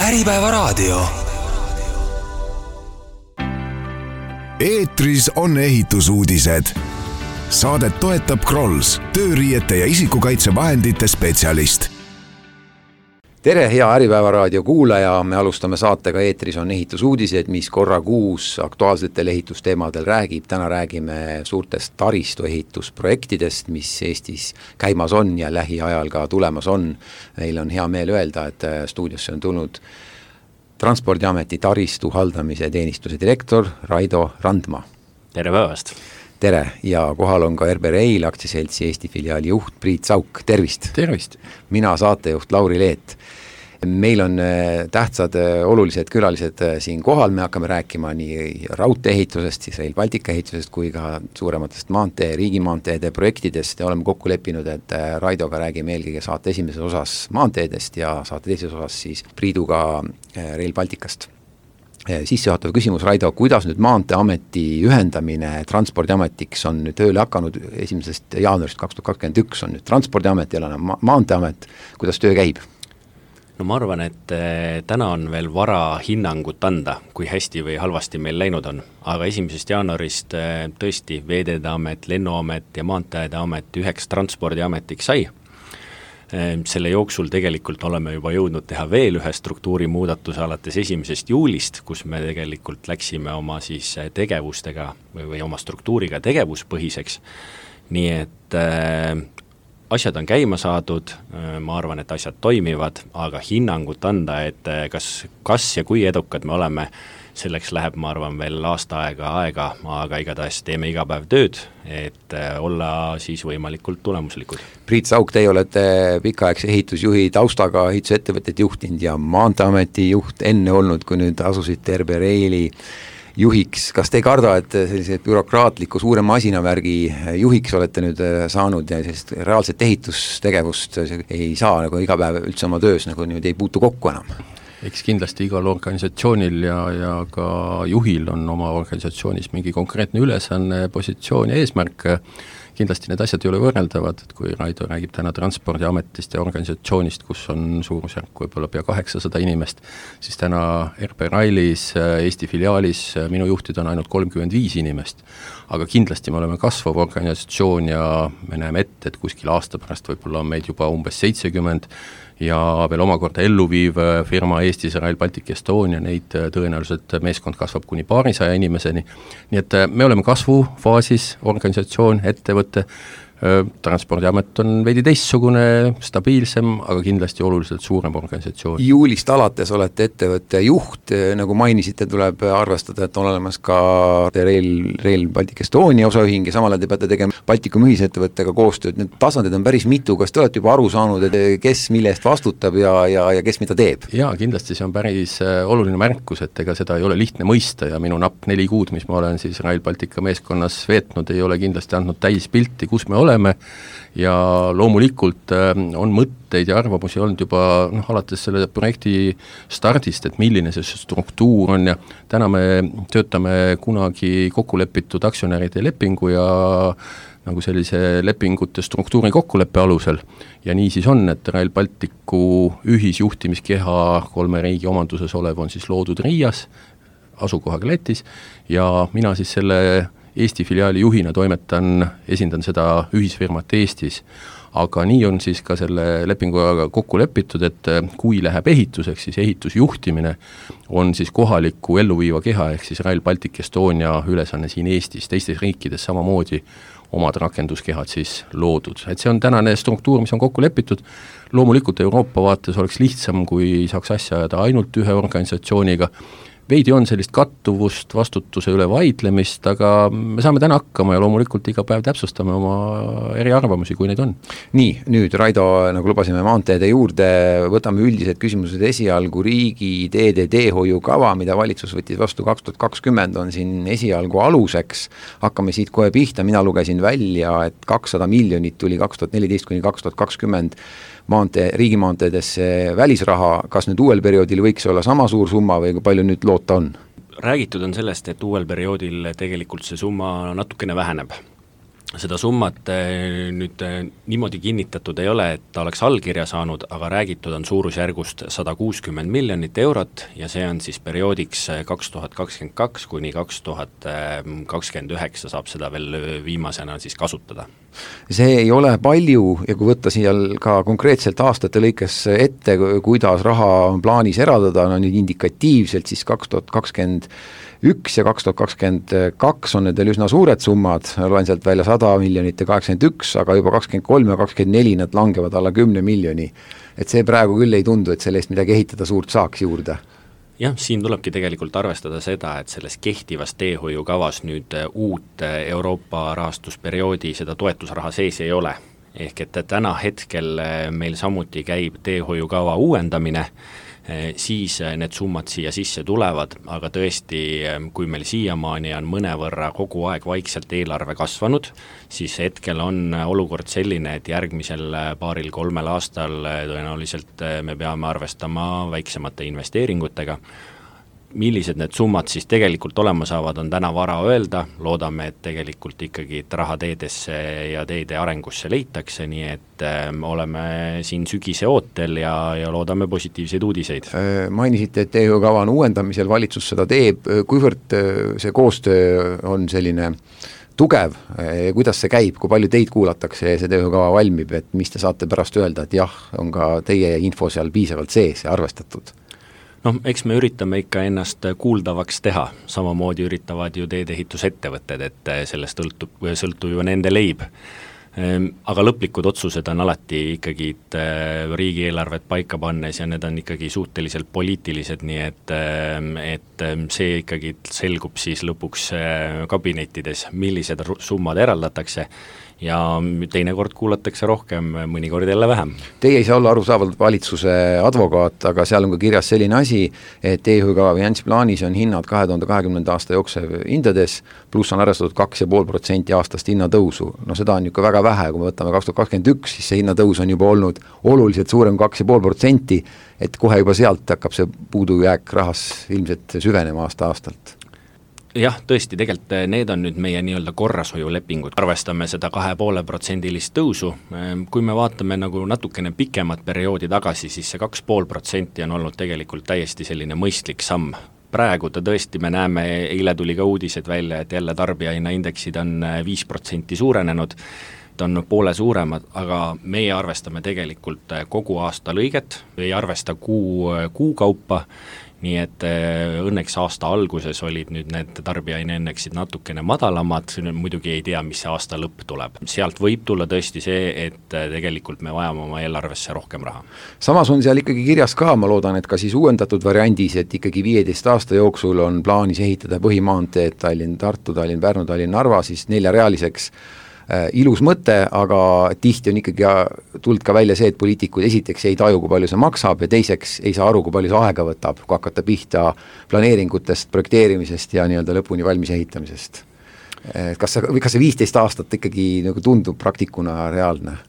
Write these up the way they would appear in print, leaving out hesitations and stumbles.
Äripäevaraadio. Eetris on ehitusuudised. Saadet toetab Krolls, tööriiete ja isikukaitsevahendite spetsialist. Tere, hea Äripäevaraadio kuulaja, me alustame saatega Eetris on ehitusuudised, mis korra kuus aktuaalsetel ehitusteemadel räägib. Täna räägime suurtest taristuehitusprojektidest, mis Eestis käimas on ja lähiajal ka tulemas on. Meil on hea meel öelda, et stuudiosse on tulnud Transpordiameti taristu haldamise teenistuse direktor Raido Randma. Tere päevast! Tere, ja kohal on ka RB Rail aktsiaseltsi Eesti filiaali juht Priit Sauk. Tervist! Tervist! Mina saatejuht Lauri Leet. Meil on tähtsad olulised külalised siin kohal, me hakkame rääkima nii raudteeehitusest, siis Rail Baltica ehitusest kui ka suurematest riigimaanteede projektidest ja oleme kokku leppinud, et Raidoga räägime eelkõige saate esimeses osas maanteedest ja saate teises osas siis Priiduga Rail Balticast. Sissejuhatav küsimus, Raido, kuidas nüüd Maanteeameti ühendamine Transpordiametiks on nüüd tööle hakanud 1. jaanuarist 2021 on nüüd Transpordiamet ja Maanteeamet, kuidas töö käib? No ma arvan, et täna on veel vara hinnangut anda, kui hästi või halvasti meil läinud on, aga 1. jaanuarist tõesti Veeteede Amet, Lennuamet ja Maanteede Amet üheks Transpordiametiks sai. Selle jooksul tegelikult oleme juba jõudnud teha veel ühe struktuurimuudatuse alates 1. juulist, kus me tegelikult läksime oma siis tegevustega või oma struktuuriga tegevuspõhiseks, nii et asjad on käima saadud, ma arvan, et asjad toimivad, aga hinnangut anda, et kas ja kui edukad me oleme, selleks läheb, ma arvan, veel aasta aega, aga igatahes teeme iga päev tööd, et olla siis võimalikult tulemuslikud. Priit Sauk, teie olete pikaaegse ehitusjuhi taustaga ehitusettevõtted juhtinud ja Maanteeameti juht enne olnud, kui nüüd asusite RB Raili juhiks. Kas te ei karda, et sellise bürokraatliku suure masinavärgi juhiks olete nüüd saanud ja sellist reaalset ehitustegevust ei saa nagu iga päev üldse oma töös, nagu nüüd ei puutu kokku enam? Eks kindlasti igal organisatsioonil ja ka juhil on oma organisatsioonis mingi konkreetne ülesanne, positsioon ja eesmärk. Kindlasti need asjad ei ole võrreldavad, et kui Raido räägib täna Transpordiametist ja organisatsioonist, kus on suurusjärk võib-olla pea 800 inimest, siis täna RB Railis, Eesti filiaalis minu juhtid on ainult 35 inimest. Aga kindlasti me oleme kasvav organisatsioon ja me näeme ette, et kuskil aasta pärast võib-olla on meid juba umbes 70 ja veel omakorda elluviiv firma Eestis Rail Baltic Estonia, neid tõenäoliselt meeskond kasvab kuni 200 inimeseni. Nii et me oleme kasvufaasis, organisatsioon, ettevõte, Transpordiamet on veidi teistsugune, stabiilsem, aga kindlasti oluliselt suurem organisatsioon. Juulist alates olete ettevõtte juht, nagu mainisite, tuleb arvestada, et on olemas ka Rail Baltic Estonia osaühing ja samal te peate tegema Baltikum ühisettevõttega koostööd. Need tasandid on päris mitu, kas te olete juba aru saanud, et kes mille eest vastutab ja kes mida teeb? Jaa, kindlasti see on päris oluline märkus, et ega seda ei ole lihtne mõista ja minu napp 4 kuud, mis ma olen siis Rail Baltica meeskonnas veetnud, ei ole kindlasti andnud täis pilti, kus me oleme ja loomulikult on mõtteid ja arvamusi olnud juba alates selle projekti stardist, et milline see struktuur on ja täna me töötame kunagi kokkulepitud aktsionäride lepingu ja nagu sellise lepingute struktuuri kokkuleppe alusel ja nii siis on, et Rail Balticu ühisjuhtimiskeha 3 riigi omanduses olev on siis loodud Riias, asukohaga Lätis ja mina siis selle Eesti filiaali juhina esindan seda ühisfirmat Eestis, aga nii on siis ka selle lepinguga kokku lepitud, et kui läheb ehituseks, siis ehitusjuhtimine on siis kohaliku elluviiva keha ehk siis Rail Baltic Estonia ülesanne siin Eestis, teistes riikides samamoodi omad rakenduskehad siis loodud. Et see on tänane struktuur, mis on kokku lepitud. Loomulikult Euroopa vaates oleks lihtsam, kui saaks asja ajada ainult ühe organisatsiooniga. Veidi on sellist kattuvust, vastutuse üle vaidlemist, aga me saame täna hakkama ja loomulikult iga päev täpsustame oma eriarvamusi, kui neid on. Nii, nüüd Raido, nagu lubasime maanteede juurde, võtame üldised küsimused esialgu. Riigi teede teehoiukava, mida valitsus võttis vastu 2020, on siin esialgu aluseks. Hakkame siit kohe pihta, mina lugesin välja, et 200 miljonit tuli 2014–2020 riigimaanteedesse välisraha. Kas nüüd uuel perioodil võiks olla sama suur summa või kui palju nüüd loota on? Räägitud on sellest, et uuel perioodil tegelikult see summa natukene väheneb. seda summat nüüd niimoodi kinnitatud ei ole, et ta oleks allkirja saanud, aga räägitud on suurusjärgust 160 miljonit eurot ja see on siis perioodiks 2022 kuni 2029 saab seda veel viimasena siis kasutada. See ei ole palju ja kui võtta siia ka konkreetselt aastate lõikes ette, kuidas raha on plaanis eraldada, no nüüd indikatiivselt siis 2021 ja 2022 on need veel üsna suured summad, loen sealt välja 100 miljonit ja 81, aga juba 23 ja 24 nad langevad alla 10 miljoni. Et see praegu küll ei tundu, et selle eest midagi ehitada suurt saaks juurde. Jah, siin tulebki tegelikult arvestada seda, et selles kehtivas teehoiukavas nüüd uut Euroopa rahastusperioodi seda toetusraha sees ei ole. Ehk et täna hetkel meil samuti käib teehoiukava uuendamine, siis need summad siia sisse tulevad, aga tõesti, kui meil siiamaani on mõnevõrra kogu aeg vaikselt eelarve kasvanud, siis hetkel on olukord selline, et järgmisel 2-3 aastal tõenäoliselt me peame arvestama väiksemate investeeringutega. Millised need summad siis tegelikult olema saavad, on täna vara öelda, loodame, et tegelikult ikkagi raha teedesse ja teede arengusse leitakse, nii et oleme siin sügise ootel ja loodame positiivseid uudiseid. Mainisite, et teehoiukava on uuendamisel, valitsus seda teeb, kuivõrd see koostöö on selline tugev, kuidas see käib, kui palju teid kuulatakse ja see teehoiukava valmib, et mis te saate pärast öelda, et jah, on ka teie info seal piisavalt sees ja arvestatud? Eks me üritame ikka ennast kuuldavaks teha, samamoodi üritavad ju teedeehitusettevõtted, et sellest sõltub ju nende leib. Aga lõplikud otsused on alati ikkagi riigieelarvet paika pannes ja need on ikkagi suhteliselt poliitilised, nii et see ikkagi selgub siis lõpuks kabinettides, millised summad eraldatakse ja teinekord kuulatakse rohkem, mõnikord jälle vähem. Teie ei saa olla arusaavalt valitsuse advokaat, aga seal on ka kirjas selline asi, et teehoiukava finantsplaanis on hinnad 2020. aasta jooksev hindades, pluss on arvestatud 2,5% aastast hinnatõusu. No seda on ju väga vähe, kui me võtame 2021, siis see hinnatõus on juba olnud oluliselt suurem 2,5%, et kohe juba sealt hakkab see puudujääk rahas ilmselt süvenema aasta-aastalt. Jah, tõesti, tegelikult need on nüüd meie nii-öelda korrashoiulepingud. Arvestame seda 2,5% tõusu. Kui me vaatame nagu natukene pikemat perioodi tagasi, siis see 2,5% on olnud tegelikult täiesti selline mõistlik samm. Praegu tõesti me näeme, eile tuli ka uudised välja, et jälle tarbijahinnaindeksid on 5% suurenenud, on poole suuremad, aga meie arvestame tegelikult kogu aasta lõiget, ei arvesta kuu kaupa, nii et õnneks aasta alguses olid nüüd need tarbijahinnaindeksid natukene madalamad, muidugi ei tea, mis see aasta lõpp tuleb. Sealt võib tulla tõesti see, et tegelikult me vajame oma eelarvesse rohkem raha. Samas on seal ikkagi kirjas ka, ma loodan, et ka siis uuendatud variandis, et ikkagi 15 aasta jooksul on plaanis ehitada põhimaanteed Tallinn-Tartu, Tallinn-Pärnu, Tallinn-Narva siis 4-realiseks. Ilus mõte, aga tihti on ikkagi tulnud ka välja see, et poliitikud esiteks ei taju, kui palju see maksab ja teiseks ei saa aru, kui palju see aega võtab, kui hakata pihta planeeringutest, projekteerimisest ja nii-öelda lõpuni valmis ehitamisest. Kas see 15 aastat ikkagi nagu tundub praktikuna reaalne?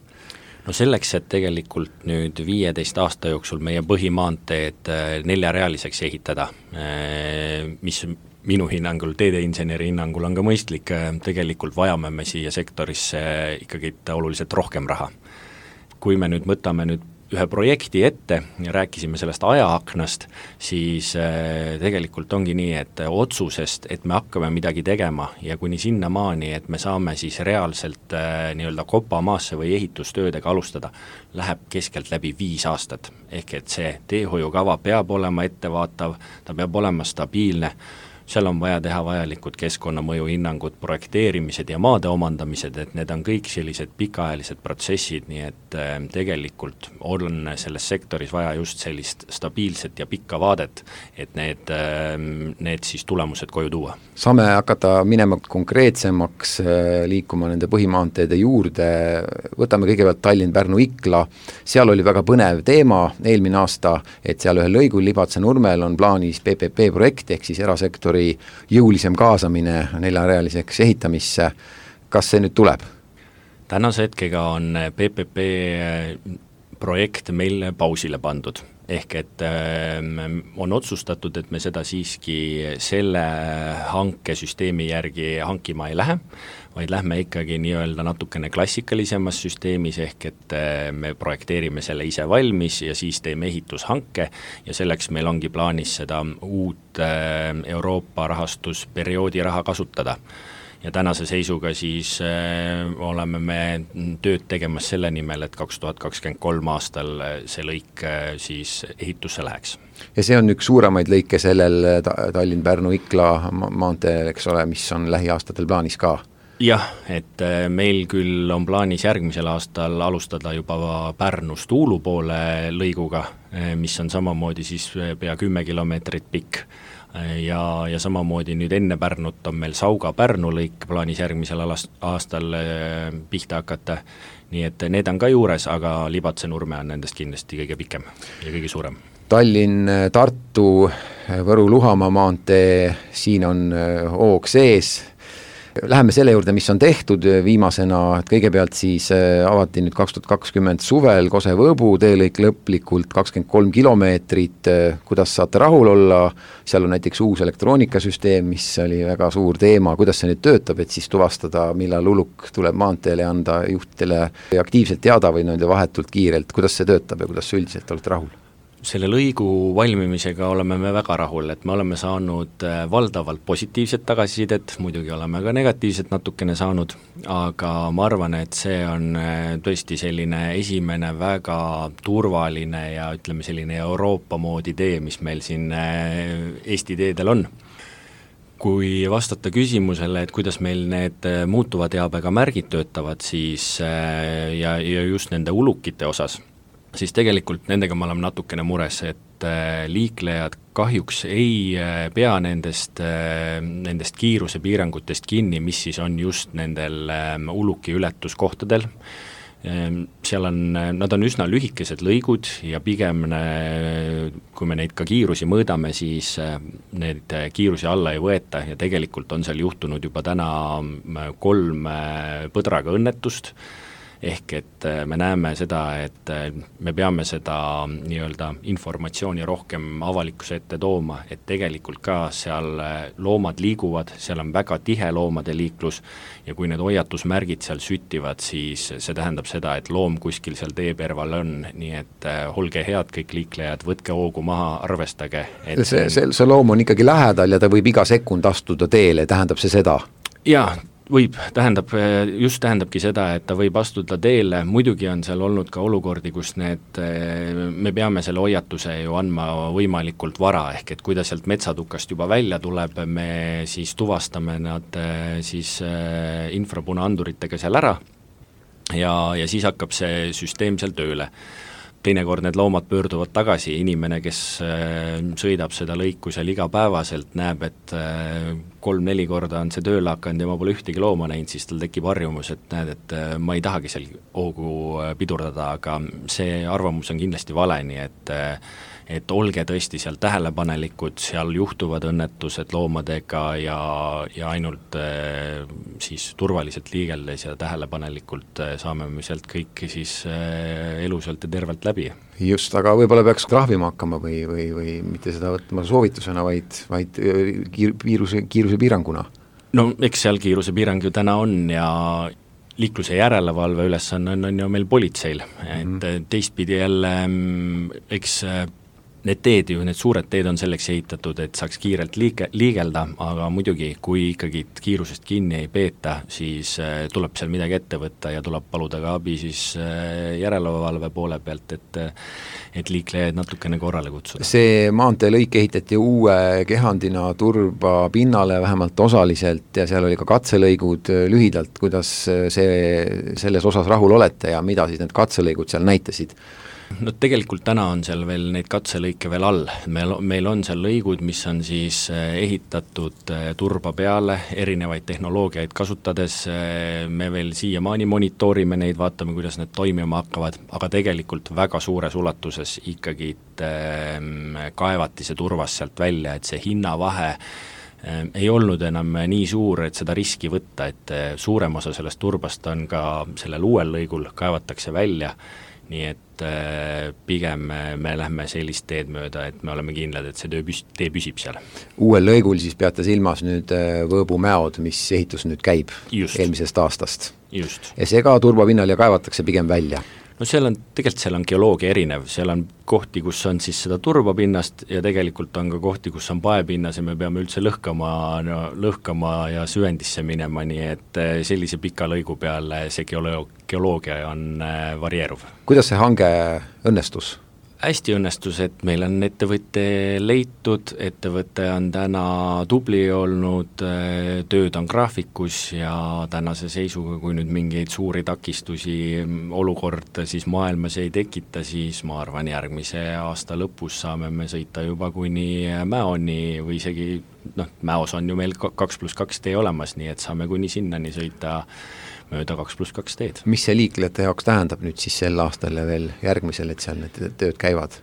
No selleks, et tegelikult nüüd 15 aasta jooksul meie põhimaanteed 4-realiseks ehitada, mis minu hinnangul, teedeinseneri hinnangul on ka mõistlik, tegelikult vajame me siia sektorisse ikkagi oluliselt rohkem raha. Kui me nüüd võtame nüüd ühe projekti ette ja rääkisime sellest ajaaknast, siis tegelikult ongi nii, et otsusest, et me hakkame midagi tegema ja kuni sinna maani, et me saame siis reaalselt nii-öelda kopamaasse või ehitustöödega alustada, läheb keskelt läbi 5 aastat. Ehk et see teehoiukava peab olema ettevaatav, ta peab olema stabiilne, seal on vaja teha vajalikud keskkonnamõju hinnangud, projekteerimised ja maade omandamised, et need on kõik sellised pikaajalised protsessid, nii et tegelikult on selles sektoris vaja just sellist stabiilset ja pikka vaadet, et need siis tulemused koju tuua. Saame hakata minema konkreetsemaks, liikuma nende põhimaanteede juurde, võtame kõigepealt Tallinn-Pärnu-Ikla, seal oli väga põnev teema eelmine aasta, et seal ühel lõigul Libatse-Nurmel on plaanis PPP projekt, ehk siis erasektori jõulisem kaasamine 4-realiseks ehitamisse. Kas see nüüd tuleb? Tänase hetkega on PPP projekt meil pausile pandud. ehk et on otsustatud, et me seda siiski selle hankesüsteemi järgi hankima ei lähe, vaid lähme ikkagi nii-öelda natukene klassikalisemas süsteemis, ehk et me projekteerime selle ise valmis ja siis teeme ehitushanke ja selleks meil ongi plaanis seda uut Euroopa rahastusperioodi raha kasutada. Ja tänase seisuga siis oleme me tööd tegemas selle nimel, et 2023 aastal see lõik siis ehitusse läheks. Ja see on üks suuremaid lõike sellel Tallinn-Pärnu-Ikla maanteel, eks ole, mis on lähiaastatel plaanis ka? Jah, et meil küll on plaanis järgmisel aastal alustada juba Pärnust Uulu poole lõiguga, mis on samamoodi siis pea 10 kilomeetrit pikk. Ja samamoodi nüüd enne Pärnut on meil Sauga-Pärnu lõik plaanis järgmisel aastal pihta hakata, nii et need on ka juures, aga Libatse-Nurme on nendest kindlasti kõige pikem ja kõige suurem. Tallinn, Tartu, Võru-Luhamaa maantee, siin on hoog sees. Läheme selle juurde, mis on tehtud viimasena, et kõigepealt siis avati nüüd 2020 suvel Kose-Võõbu teelõik lõplikult 23 kilomeetrit, kuidas saate rahul olla, seal on näiteks uus elektroonikasüsteem, mis oli väga suur teema, kuidas see nüüd töötab, et siis tuvastada, millal uluk tuleb maanteele ja anda juhtidele aktiivselt teada või vahetult kiirelt, kuidas see töötab ja kuidas üldiselt olete rahul? Selle lõigu valmimisega oleme me väga rahul, et me oleme saanud valdavalt positiivset tagasisidet, muidugi oleme ka negatiivset natukene saanud, aga ma arvan, et see on tõesti selline esimene väga turvaline ja ütleme selline Euroopa moodi tee, mis meil siin Eesti teedel on. Kui vastata küsimusele, et kuidas meil need muutuva teabega märgid töötavad, siis ja just nende ulukite osas, siis tegelikult nendega me oleme natukene mures, et liiklejad kahjuks ei pea nendest kiirusepiirangutest kinni, mis siis on just nendel uluki ületuskohtadel. Seal nad on üsna lühikesed lõigud ja pigem, kui me neid ka kiirusi mõõdame, siis need kiirusi alla ei võeta ja tegelikult on seal juhtunud juba täna 3 põdraga õnnetust, ehk et me näeme seda, et me peame seda nii-öelda informatsiooni rohkem avalikkuse ette tooma, et tegelikult ka seal loomad liiguvad, seal on väga tihe loomade liiklus ja kui need hoiatusmärgid seal süttivad, siis see tähendab seda, et loom kuskil seal teeperval on, nii et olge head kõik liiklejad, võtke hoogu maha, arvestage. Et see loom on ikkagi lähedal ja ta võib iga sekund astuda teele, tähendab see seda? Jaa, tähendabki seda, et ta võib astuda teele, muidugi on seal olnud ka olukordi, kus me peame selle hoiatuse ju andma võimalikult vara, ehk et kui ta sealt metsatukast juba välja tuleb, me siis tuvastame nad siis infrapunaanduritega seal ära ja siis hakkab see süsteem seal tööle. Teinekord need loomad pöörduvad tagasi, inimene, kes sõidab seda lõiku seal igapäevaselt, näeb, et 3-4 korda on see tööle hakanud ja ma pole ühtegi looma näinud, siis tal tekib harjumus, et näed, et ma ei tahagi seal hoogu pidurdada, aga see arvamus on kindlasti vale, nii et olge tõesti seal tähelepanelikud, seal juhtuvad õnnetused loomadega ja ainult siis turvaliselt liigeldes ja tähelepanelikult saame me sealt kõik siis elusalt ja tervelt läbi. Just, aga võib-olla peaks trahvima hakkama või mitte seda võtma soovitusena, vaid kiiruse piiranguna? No eks seal kiiruse piirang ju täna on ja liikluse järelevalve ülesanne on ju meil politseil, et teistpidi jälle eks need teed ju, need suured teed on selleks ehitatud, et saaks kiirelt liigelda, aga muidugi, kui ikkagi kiirusest kinni ei peeta, siis tuleb seal midagi ette võtta ja tuleb paluda ka abi siis järelevalve poole pealt, et liiklejaid natukene korrale kutsuda. See maanteelõik ehitati uue kehandina turba pinnale vähemalt osaliselt ja seal oli ka katselõigud lühidalt, kuidas selles osas rahul olete ja mida siis need katselõigud seal näitasid? No tegelikult täna on seal veel neid katselõike veel all, meil on seal lõigud, mis on siis ehitatud turba peale, erinevaid tehnoloogiaid kasutades, me veel siiamaani monitoorime neid, vaatame, kuidas need toimima hakkavad, aga tegelikult väga suures ulatuses ikkagi kaevati see turvas sealt välja, et see hinnavahe ei olnud enam nii suur, et seda riski võtta, et suurem osa sellest turbast on ka sellel uuel lõigul, kaevatakse välja, nii et pigem me lähme sellist teed mööda, et me oleme kindlad, et see tee püsib seal. Uuel lõigul siis peate silmas nüüd Võõbu-Mäod, mis ehitus nüüd käib eelmisest aastast. Just. Ja see ka turbapinnal ja kaevatakse pigem välja? No seal on geoloogia erinev, seal on kohti, kus on siis seda turbapinnast ja tegelikult on ka kohti, kus on paepinnas ja me peame üldse lõhkama ja süvendisse minema, nii et sellise pika lõigu peale see geoloogia on varieeruv. Kuidas see hange õnnestus? Hästi õnnestus, et meil on ettevõtte leitud, ettevõte on täna tubli olnud, tööd on graafikus ja tänase seisuga, kui nüüd mingeid suuri takistusi olukord siis maailmas ei tekita, siis ma arvan, järgmise aasta lõpus saame me sõita juba kuni Mäoni või isegi, Mäos on ju meil 2+2 tee olemas, nii et saame kuni sinnani sõita mööda 2+2 teed. Mis see liiklejate jaoks tähendab nüüd siis sel aastal ja veel järgmisel, et seal need tööd käivad?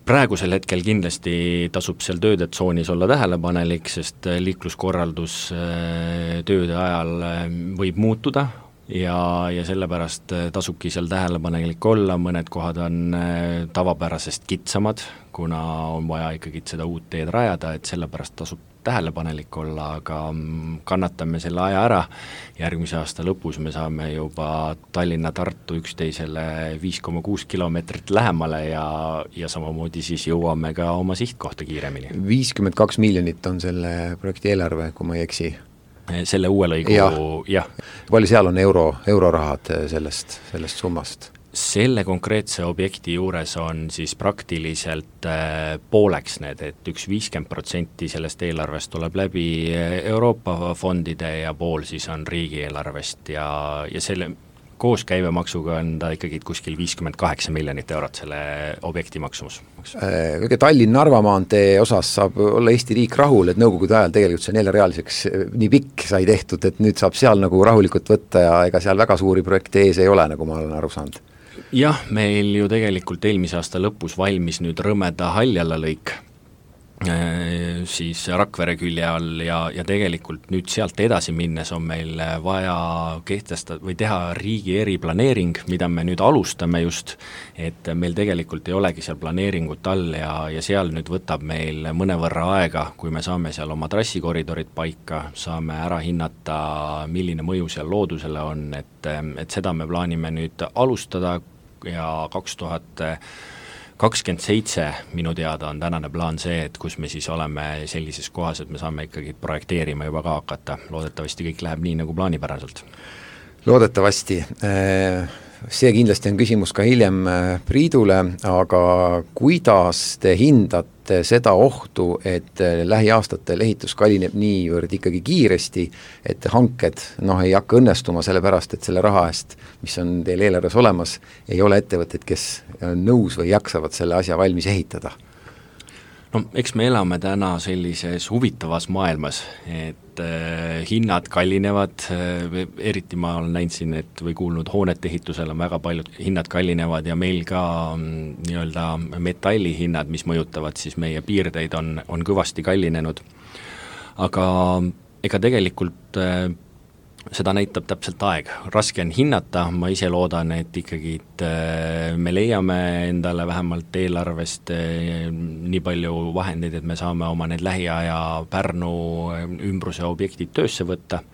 Praegusel hetkel kindlasti tasub seal töödetsoonis olla tähelepanelik, sest liikluskorraldus tööde ajal võib muutuda ja sellepärast tasubki seal tähelepanelik olla, mõned kohad on tavapärasest kitsamad, kuna on vaja ikkagi seda uut teed rajada, et sellepärast tasub tähelepanelik olla, aga kannatame selle aja ära. Järgmise aasta lõpus me saame juba Tallinna-Tartu üksteisele 5,6 kilomeetrit lähemale ja samamoodi siis jõuame ka oma sihtkohta kiiremini. 52 miljonit on selle projekti eelarve, kui ma ei eksi. Selle uue lõigu, jah. Palju seal on eurorahad sellest summast? Selle konkreetse objekti juures on siis praktiliselt pooleks need, et 50% sellest eelarvest tuleb läbi Euroopa fondide ja pool siis on riigieelarvest ja selle koos käibemaksuga on ta ikkagi kuskil 58 miljonit eurot selle objekti maksumus. Kõige Tallinn-Narva maantee osas saab olla Eesti riik rahul, et nõukogude ajal tegelikult see 4-realiseks nii pikk sai tehtud, et nüüd saab seal nagu rahulikult võtta ja ega seal väga suuri projekte ees ei ole, nagu ma olen aru saanud. Jah, meil ju tegelikult eelmise aasta lõpus valmis nüüd Rõmeda Haljala lõik siis Rakvere külje all ja tegelikult nüüd sealt edasi minnes on meil vaja kehtestada või teha riigi eriplaneering, mida me nüüd alustame just, et meil tegelikult ei olegi seal planeeringut all ja seal nüüd võtab meil mõnevõrra aega, kui me saame seal oma trassikoridorid paika, saame ära hinnata, milline mõju seal loodusele on, et seda me plaanime nüüd alustada ja 2027 minu teada on tänane plaan see, et kus me siis oleme sellises kohas, et me saame ikkagi projekteerima juba ka hakata. Loodetavasti kõik läheb nii nagu plaanipäraselt. Loodetavasti. See kindlasti on küsimus ka hiljem Priidule, aga kuidas te hindate seda ohtu, et lähiaastatel ehitus kallineb niivõrd ikkagi kiiresti, et hanked ei hakka õnnestuma sellepärast, et selle raha eest, mis on teil eelarves olemas, ei ole ettevõtted, kes on nõus või jaksavad selle asja valmis ehitada? No, eks me elame täna sellises huvitavas maailmas, et hinnad kallinevad, eriti ma olen näinud siin, et või kuulnud hoonete ehitusel on väga paljud hinnad kallinevad ja meil ka nii-öelda metallihinnad, mis mõjutavad siis meie piirdeid, on kõvasti kallinenud. Aga ega tegelikult seda näitab täpselt aeg. Raske on hinnata, ma ise loodan, et ikkagi me leiame endale vähemalt eelarvest nii palju vahendeid, et me saame oma need lähiaja Pärnu ümbruse objektid töösse võtta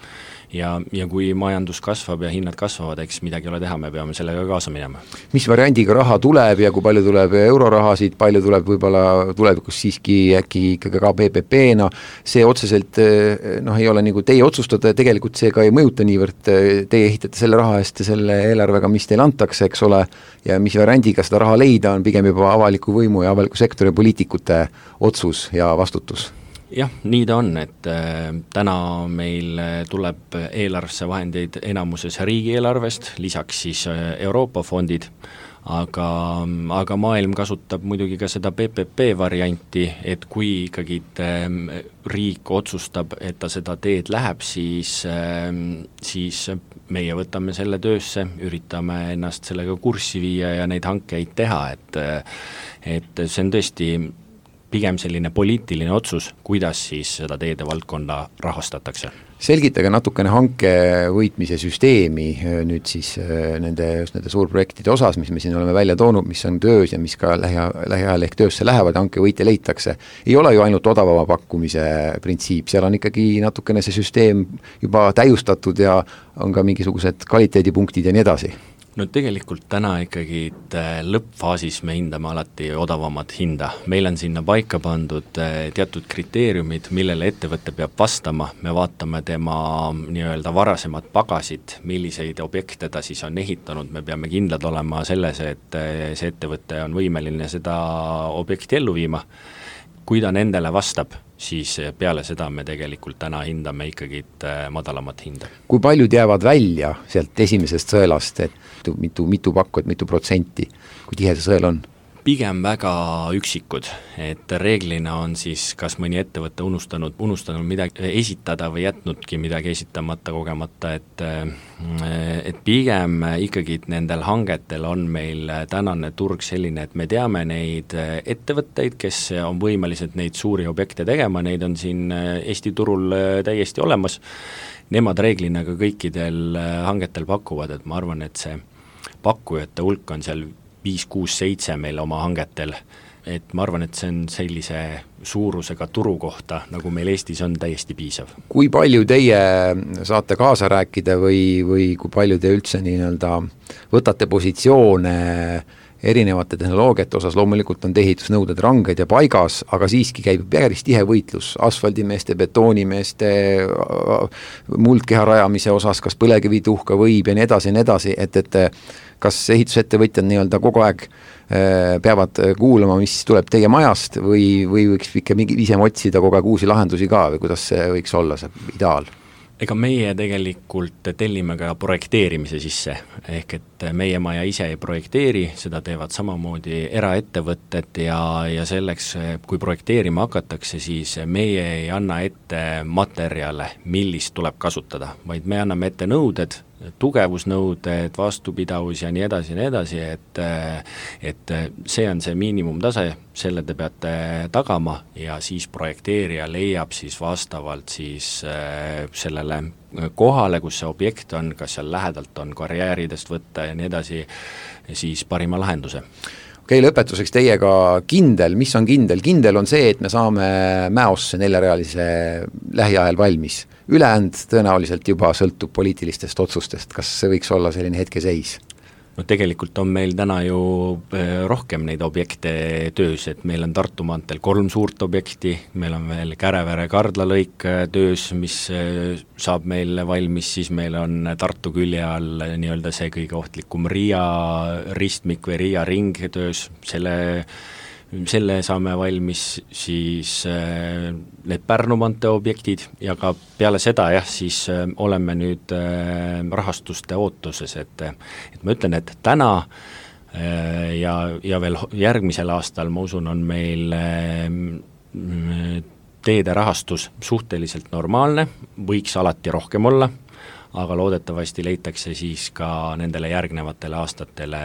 ja kui majandus kasvab ja hinnad kasvavad, eks midagi ole teha, me peame sellega kaasa minema. Mis variandiga raha tuleb ja kui palju tuleb eurorahasid, palju tuleb võib-olla tulevikus siiski äkki ikkagi ka PPP-na, see otseselt ei ole nagu teie otsustada ja tegelikult see ka ei mõjuta niivõrd, teie ehitate selle raha eest ja selle eelarvega, mis teil antakse, eks ole, ja mis variandiga seda raha leida on pigem juba avaliku võimu ja avaliku sektori poliitikute otsus ja vastutus. Jah, nii ta on, et täna meil tuleb eelarvesse vahendeid enamuses riigieelarvest, lisaks siis Euroopa fondid, aga maailm kasutab muidugi ka seda PPP varianti, et kui ikkagi riik otsustab, et ta seda teed läheb, siis meie võtame selle töösse, üritame ennast sellega kurssi viia ja neid hankeid teha, et see on tõesti pigem selline poliitiline otsus, kuidas siis seda teede valdkonda rahastatakse. Selgitage natukene hanke võitmise süsteemi nüüd siis nende suurprojektide osas, mis me siin oleme välja toonud, mis on töös ja mis ka lähiajal ehk töösse lähevad, hanke võitja leitakse. Ei ole ju ainult odavama pakkumise printsiip, seal on ikkagi natukene see süsteem juba täiustatud ja on ka mingisugused kvaliteedipunktid ja nii edasi. No tegelikult täna ikkagi lõppfaasis me hindame alati odavamat hinda. Meil on sinna paika pandud teatud kriteeriumid, millele ettevõte peab vastama. Me vaatame tema nii-öelda varasemad pagasid, milliseid objekte ta siis on ehitanud. Me peame kindlad olema selles, et see ettevõte on võimeline seda objekti ellu viima. Kui ta nendele vastab, siis peale seda me tegelikult täna hindame ikkagi madalamat hinda. Kui paljud jäävad välja sealt esimesest sõelast, et mitu pakku, mitu protsenti, kui tihe see sõel on? Pigem väga üksikud, et reeglina on siis kas mõni ettevõte unustanud midagi esitada või jätnudki midagi esitamata kogemata, et pigem ikkagi nendel hangetel on meil tänane turg selline, et me teame neid ettevõtteid, kes on võimelised neid suuri objekte tegema, neid on siin Eesti turul täiesti olemas. Nemad reeglina ka kõikidel hangetel pakuvad, et ma arvan, et see pakkujate hulk on seal 5, 6, 7 meil oma hangetel, et ma arvan, et see on sellise suurusega turu kohta, nagu meil Eestis on täiesti piisav. Kui palju teie saate kaasa rääkida või kui palju te üldse nii-öelda võtate positsioone erinevate tehnoloogiate osas, loomulikult on ehitusnõuded ranged ja paigas, aga siiski käib päris tihe võitlus asfaldimeeste, betoonimeeste, muldkeha rajamise osas, kas põlevkivituhka võib ja nii edasi, et kas ehitusettevõtjad nii-öelda kogu aeg peavad kuulama, mis tuleb teie majast või võiks ikka ise otsida kogu aeg uusi lahendusi ka või kuidas see võiks olla, see ideaal? Ega meie tegelikult tellime ka projekteerimise sisse, ehk et meie maja ise ei projekteeri, seda teevad samamoodi eraettevõtted ja selleks, kui projekteerima hakatakse, siis meie ei anna ette materjale, millist tuleb kasutada, vaid me anname ette nõuded, tugevusnõuded, vastupidavus ja nii edasi, et see on see miinimumtase, selle te peate tagama ja siis projekteerija leiab siis vastavalt siis sellele kohale, kus see objekt on, kas seal lähedalt on karjääridest võtta ja nii edasi, siis parima lahenduse. Okei, lõpetuseks teiega kindel, mis on kindel? Kindel on see, et me saame Mäosse 4-realise lähiajal valmis. Ülejäänud tõenäoliselt juba sõltub poliitilistest otsustest. Kas see võiks olla selline hetkeseis? No tegelikult on meil täna ju rohkem neid objekte töös, et meil on Tartu maanteel 3 suurt objekti, meil on veel Kärevere-Kardla lõik töös, mis saab meil valmis, siis meil on Tartu külje all nii-öelda see kõige ohtlikum Riia ristmik või Riia ring töös, selle saame valmis, siis need Pärnu maantee objektid ja ka peale seda siis oleme nüüd rahastuste ootuses, et ma ütlen, et täna ja veel järgmisel aastal ma usun, on meil teede rahastus suhteliselt normaalne, võiks alati rohkem olla, aga loodetavasti leitakse siis ka nendele järgnevatele aastatele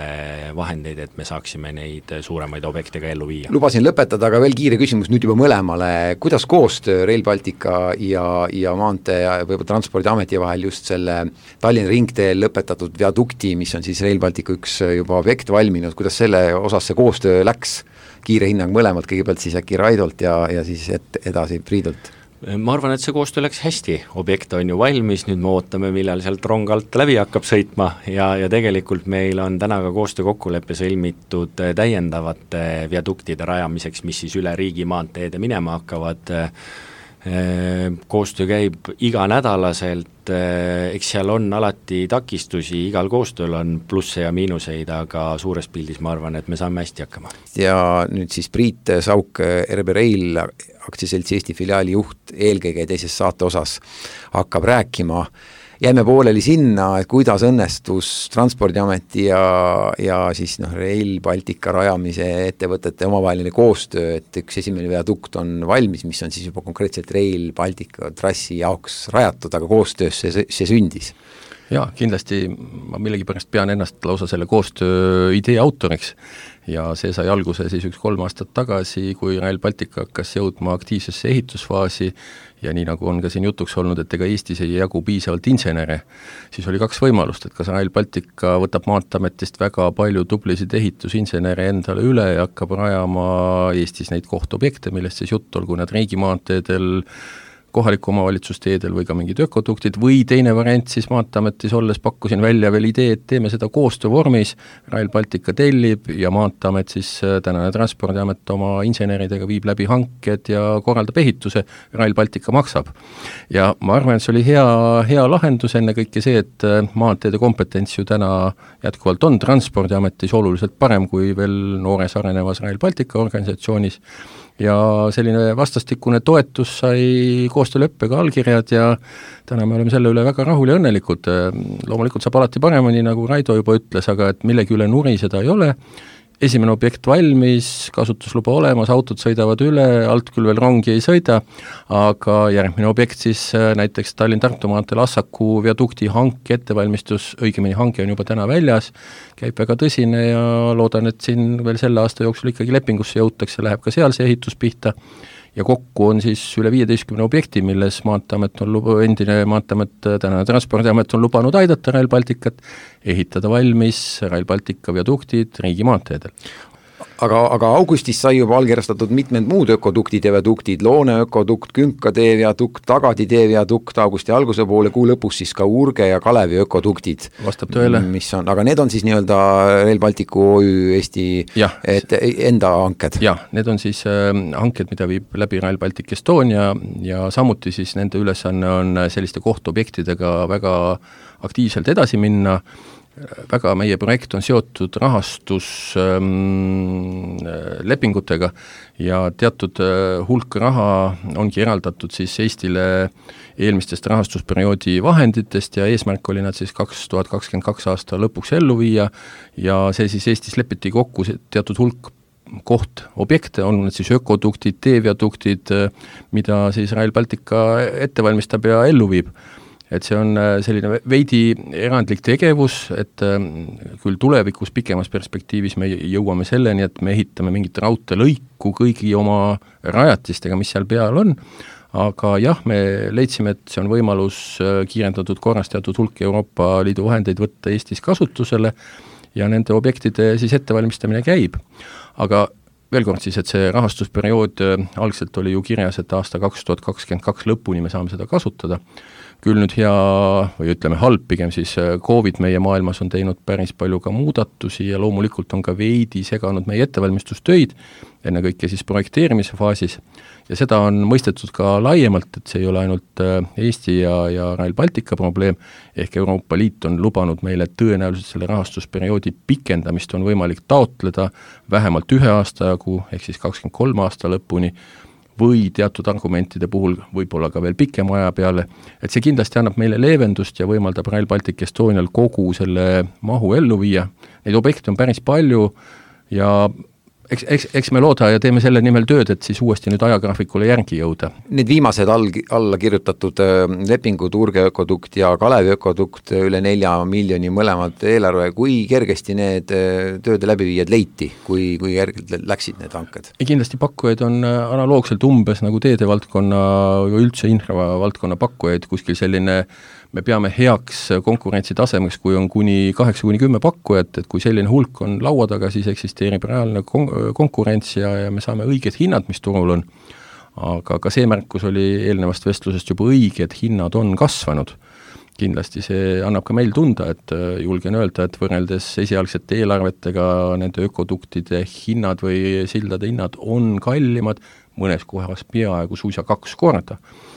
vahendeid, et me saaksime neid suuremaid objekte ka ellu viia. Lubasin lõpetada, aga veel kiire küsimus nüüd juba mõlemale. Kuidas koostöö Rail Baltica ja maantee ja võib-olla Transpordiameti vahel just selle Tallinna ringteel lõpetatud viadukti, mis on siis Rail Baltica üks juba objekt valminud, kuidas selle osas see koostöö läks? Kiire hinnang mõlemalt, kõigepealt siis äkki Raidolt ja siis edasi Priidult. Ma arvan, et see koostöö läks hästi, objekt on ju valmis, nüüd me ootame, millal sealt rong alt läbi hakkab sõitma ja tegelikult meil on täna ka koostöö kokkuleppe sõlmitud täiendavate viaduktide rajamiseks, mis siis üle riigi maanteede minema hakkavad. Koostöö käib iganädalaselt, eks seal on alati takistusi, igal koostööl on plusse ja miinuseid, aga suures pildis ma arvan, et me saame hästi hakkama. Ja nüüd siis Priit Sauk, RB Rail aktsiaseltsi Eesti filiaali juht eelkõige teises saate osas hakkab rääkima. Jäime pooleli sinna, et kuidas õnnestus Transpordiameti ja siis Rail Baltica rajamise ettevõtete omavaheline koostöö, et üks esimene viadukt on valmis, mis on siis juba konkreetselt Rail Baltica trassi jaoks rajatud, aga koostöös see sündis. Jaa, kindlasti ma millegipärast pean ennast lausa selle koostöö idee autoriks ja see sai alguse siis 3 aastat tagasi, kui Rail Baltic hakkas jõudma aktiivsesse ehitusfaasi ja nii nagu on ka siin jutuks olnud, et ega Eestis ei jagu piisavalt insenere, siis oli 2 võimalust, et kas Rail Baltic võtab Maanteeametist väga palju tublisid ehitusinsenere endale üle ja hakkab rajama Eestis neid kohtobjekte, millest siis jutt, olgu need riigimaanteedel, kohaliku omavalitsusteedel või ka mingid ökoduktid, või teine variant siis Maanteeametis olles pakkusin välja veel idee, et teeme seda koostöövormis, Rail Baltica tellib ja Maanteeamet siis, tänane Transpordiamet oma inseneridega viib läbi hanked ja korraldab ehituse, Rail Baltica maksab. Ja ma arvan, et see oli hea lahendus, enne kõike see, et maanteede kompetents ju täna jätkuvalt on Transpordiametis oluliselt parem kui veel noores arenevas Rail Baltica organisatsioonis, ja selline vastastikune toetus sai koostööleppega allkirjad ja täna me oleme selle üle väga rahul ja õnnelikud. Loomulikult saab alati paremini, nagu Raido juba ütles, aga et millegi üle nuriseda ei ole. Esimene objekt valmis, kasutusluba olemas, autod sõidavad üle, alt küll veel rongi ei sõida, aga järgmine objekt siis näiteks Tallinn-Tartu maanteel Assaku viadukti hanke ettevalmistus, õigemini hanke on juba täna väljas, käib väga tõsine ja loodan, et siin veel selle aasta jooksul ikkagi lepingusse jõutakse, läheb ka seal see ehitus pihta ja kokku on siis üle 15 objekti, milles Maanteeamet on endine Maanteeamet, tänane Transpordiamet on lubanud aidata Rail Balticat, ehitada valmis Rail Baltica viaduktid riigimaanteedel. Aga augustis sai juba allkirjastatud mitmed muud ökoduktid ja viaduktid, Loone ökodukt, Künka tee viadukt, Tagadi tee viadukt, augusti alguse poole, kuu lõpus siis ka Urge ja Kalevi ökoduktid. Vastab tõele. Aga need on siis nii-öelda Rail Balticu OÜ Eesti enda hanked? Jah, need on siis hanked, mida viib läbi Rail Baltic Estonia ja samuti siis nende ülesanne on selliste kohtobjektidega väga aktiivselt edasi minna. Väga meie projekt on seotud rahastuslepingutega ja teatud hulk raha ongi eraldatud siis Eestile eelmistest rahastusperioodi vahenditest ja eesmärk oli nad siis 2022 aasta lõpuks ellu viia ja see siis Eestis lepiti kokku teatud hulk objekte, on need siis ökoduktid, teeviaduktid, mida siis Rail Baltica ette valmistab ja ellu viib. Et see on selline veidi erandlik tegevus, et küll tulevikus pikemas perspektiivis me jõuame selleni, et me ehitame mingit raudteelõiku kõigi oma rajatistega, mis seal peal on, aga jah, me leidsime, et see on võimalus kiirendatud korras teatud hulk Euroopa Liidu vahendeid võtta Eestis kasutusele ja nende objektide siis ettevalmistamine käib. Aga veel kord siis, et see rahastusperiood algselt oli ju kirjas, et aasta 2022 lõpuni me saame seda kasutada. Küll nüüd hea või ütleme halb, pigem siis COVID meie maailmas on teinud päris palju ka muudatusi ja loomulikult on ka veidi seganud meie ettevalmistustöid, ennekõike siis projekteerimise faasis ja seda on mõistetud ka laiemalt, et see ei ole ainult Eesti ja Rail Baltica probleem, ehk Euroopa Liit on lubanud meile tõenäoliselt selle rahastusperioodi pikendamist on võimalik taotleda vähemalt 1 aasta jagu, ehk siis 23 aasta lõpuni, või teatud argumentide puhul võib-olla ka veel pikema aja peale, et see kindlasti annab meile leevendust ja võimaldab Rail Baltic Estonial kogu selle mahu ellu viia. Neid objekte on päris palju ja eks me looda ja teeme selle nimel tööd, et siis uuesti nüüd ajagraafikule järgi jõuda. Need viimased alla kirjutatud lepingud, Urge ökodukt ja Kalevi ökodukt, üle 4 miljoni mõlemad eelarve, kui kergesti need tööde läbiviijad leiti, kui kergelt läksid need hanked? Kindlasti pakkujaid on analoogselt umbes nagu teedevaldkonna või üldse infravaldkonna pakkujaid, kuskil selline me peame heaks konkurentsitasemeks, kui on kuni 8-10 pakkujat, et kui selline hulk on laua taga, siis eksisteerib reaalne konkurents ja me saame õiged hinnad, mis turul on. Aga ka see märkus oli eelnevast vestlusest juba õige, et hinnad on kasvanud. Kindlasti see annab ka meil tunda, et julgen öelda, et võrreldes esialgsete eelarvetega nende ökoduktide hinnad või sildade hinnad on kallimad, mõnes kohas peaaegu suisa 2 korda.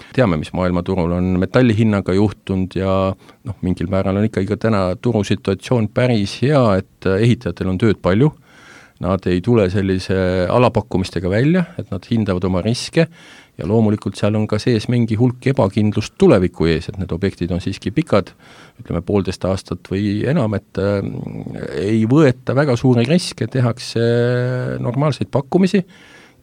Teame, mis maailmaturul on metallihinnaga juhtunud ja mingil määral on ikkagi ka täna turusituatsioon päris hea, et ehitajatel on tööd palju, nad ei tule sellise alapakkumistega välja, et nad hindavad oma riske ja loomulikult seal on ka sees mingi hulk ebakindlust tuleviku ees, et need objektid on siiski pikad, ütleme 1,5 aastat või enam, et ei võeta väga suuri riske, tehakse normaalseid pakkumisi,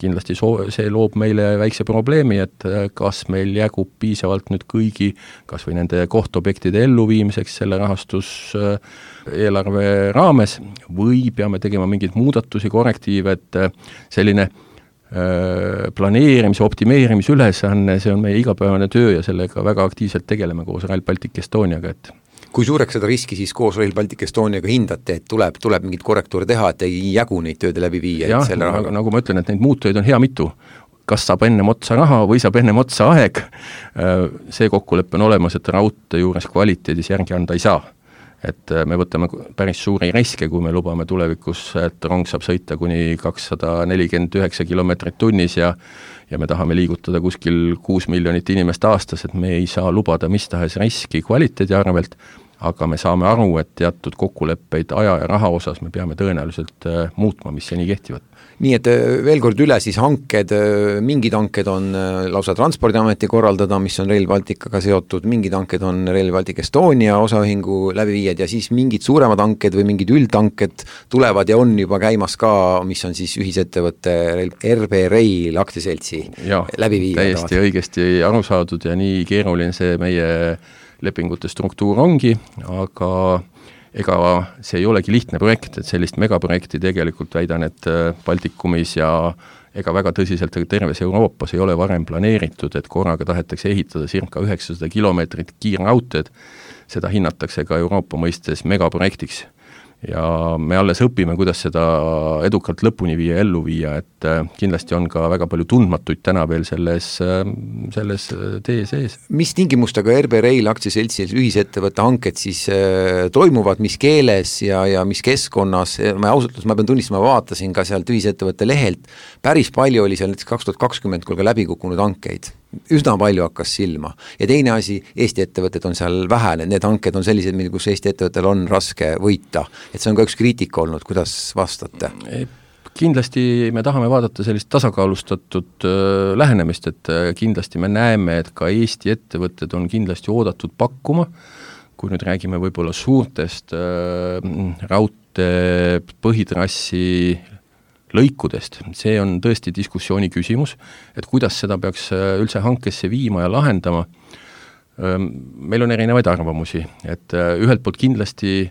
kindlasti see loob meile väikse probleemi, et kas meil jagub piisavalt nüüd kõigi, kas või nende kohtobjektide elluviimiseks selle rahastus eelarve raames või peame tegema mingeid muudatusi, korrektiive, et selline planeerimise, optimeerimise ülesanne, see on meie igapäevane töö ja sellega väga aktiivselt tegeleme koos Rail Baltic Estoniaga, et kui suureks seda riski siis koos Rail Baltic Estoniaga hindate, et tuleb mingit korrektuure teha, et ei jagu neid tööde läbi viia? Jah, nagu ma ütlen, et neid muutujaid on hea mitu. Kas saab ennem otsa raha või saab ennem otsa aeg? See kokkulepe on olemas, et raudtee juures kvaliteedis järgi anda ei saa. Et me võtame päris suuri riske, kui me lubame tulevikus, et rong saab sõita kuni 249 kilomeetrit tunnis ja me tahame liigutada kuskil 6 miljonit inimest aastas, et me ei saa lubada mis tahes riski kvaliteedi arvelt, aga me saame aru, et teatud kokkuleppeid aja ja raha osas me peame tõenäoliselt muutma, mis seni kehtivad. Nii et veel kord üle siis hanked, mingid hanked on lausa Transpordiameti korraldada, mis on Rail Balticaga seotud, mingid hanked on Rail Baltic Estonia osaühingu läbiviijad ja siis mingid suuremad hanked või mingid üldhanked tulevad ja on juba käimas ka, mis on siis ühisettevõtte RB Rail aktsiaseltsi läbiviijad. Täiesti õigesti aru saadud ja nii keeruline see meie lepingute struktuur ongi, aga ega see ei olegi lihtne projekt, et sellist megaprojekti tegelikult väidan, et Baltikumis ja ega väga tõsiselt terves Euroopas ei ole varem planeeritud, et korraga tahetakse ehitada circa 900 kilomeetrit kiirraudteed, seda hinnatakse ka Euroopa mõistes megaprojektiks. Ja me alles õpime, kuidas seda edukalt lõpuni viia, ellu viia, et kindlasti on ka väga palju tundmatuid täna veel selles tee sees. Mis tingimustega RB Rail aktsiaseltsil ühisettevõtte hanked siis toimuvad, mis keeles ja mis keskkonnas? Ma pean tunnistama, vaatasin ka sealt ühisettevõtte lehelt, päris palju oli seal näiteks 2020 kui ka läbi kukkunud hankeid. Üsna palju hakkas silma. Ja teine asi, Eesti ettevõtted on seal vähe, need hanked on sellised, kus Eesti ettevõttel on raske võita. Et see on ka üks kriitika olnud, kuidas vastate? Kindlasti me tahame vaadata sellist tasakaalustatud lähenemist, et kindlasti me näeme, et ka Eesti ettevõtted on kindlasti oodatud pakkuma, kui nüüd räägime võib-olla suurtest raudtee põhitrassi lõikudest. See on tõesti diskussiooni küsimus, et kuidas seda peaks üldse hankesse viima ja lahendama. Meil on erinevaid arvamusi, et ühelt poolt kindlasti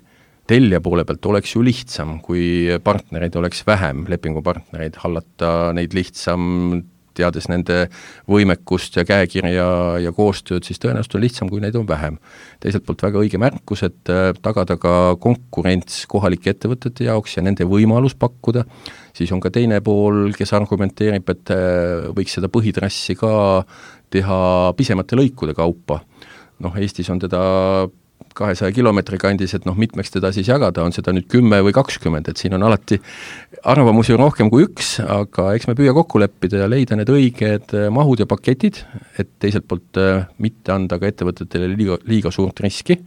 tellija poole pealt oleks ju lihtsam, kui partnereid oleks vähem, lepingupartnereid, hallata neid lihtsam, teades nende võimekust ja käekirja ja koostööd, siis tõenäoliselt on lihtsam, kui neid on vähem. Teiselt poolt väga õige märkus, et tagada ka konkurents kohalike ettevõtete jaoks ja nende võimalus pakkuda, siis on ka teine pool, kes argumenteerib, et võiks seda põhitrassi ka teha pisemate lõikude kaupa. Eestis on teda 200 kilomeetri kandis, et mitmeks teda siis jagada, on seda nüüd 10 või 20, et siin on alati arvamusi rohkem kui üks, aga eks me püüa kokku leppida ja leida need õiged mahud ja paketid, et teiselt poolt mitte anda ka ettevõtetele liiga suurt riski,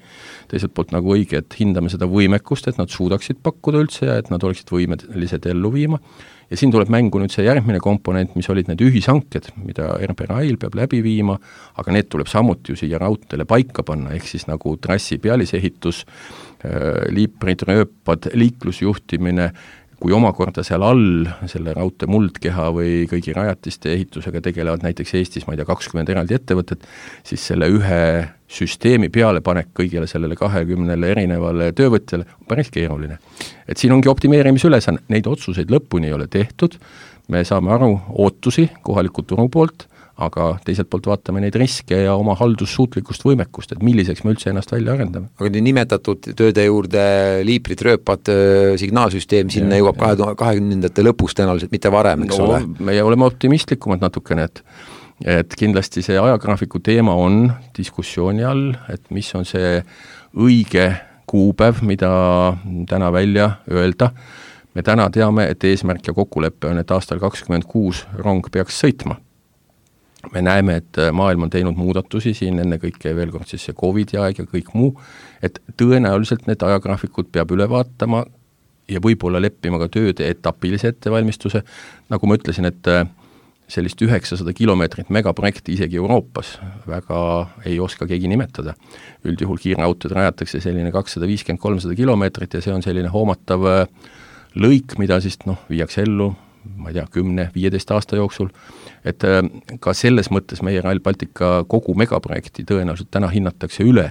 teiselt poolt nagu õige, et hindame seda võimekust, et nad suudaksid pakkuda üldse ja et nad oleksid võimelised ellu viima. Ja siin tuleb mängu nüüd see järgmine komponent, mis olid need ühishanked, mida RB Rail peab läbi viima, aga need tuleb samuti ju siia raudteele paika panna, ehk siis nagu trassi pealisehitus, liiprid, rööpad, liiklusjuhtimine, kui omakorda seal all selle raudtee muldkeha või kõigi rajatiste ehitusega tegelevad näiteks Eestis, ma ei tea, 20 eraldi ettevõtet, siis selle ühe süsteemi pealepanek kõigile sellele 20 erinevale töövõtjale on päris keeruline. Et siin ongi optimeerimise ülesanne, neid otsuseid lõpuni ei ole tehtud, me saame aru ootusi kohaliku turu poolt, aga teiselt poolt vaatame neid riske ja oma haldussuutlikkust võimekust, et milliseks me üldse ennast välja arendame. Aga nimetatud tööde juurde liiprid, rööpad, signaalsüsteem, sinna jõuab 2020. lõpus tõenäoliselt, mitte varem, eks ole? Me oleme optimistlikumad natukene, et kindlasti see ajagraafiku teema on diskussiooni all, et mis on see õige kuupäev, mida täna välja öelda. Me täna teame, et eesmärk ja kokkulepe on, et aastal 2026 rong peaks sõitma. Me näeme, et maailm on teinud muudatusi siin, enne kõike veel kord siis see COVID aeg ja kõik muu, et tõenäoliselt need ajagraafikud peab üle vaatama ja võib-olla leppima ka tööde etapilise ettevalmistuse. Nagu ma ütlesin, et sellist 900 kilomeetrit megaprojekti isegi Euroopas väga ei oska keegi nimetada. Üldjuhul kiirraudteed rajatakse selline 250-300 kilomeetrit ja see on selline hoomatav lõik, mida siis viiakse ellu ma ei tea, 10-15 aasta jooksul, et ka selles mõttes meie Rail Baltica kogu megaprojekti tõenäoliselt täna hinnatakse üle,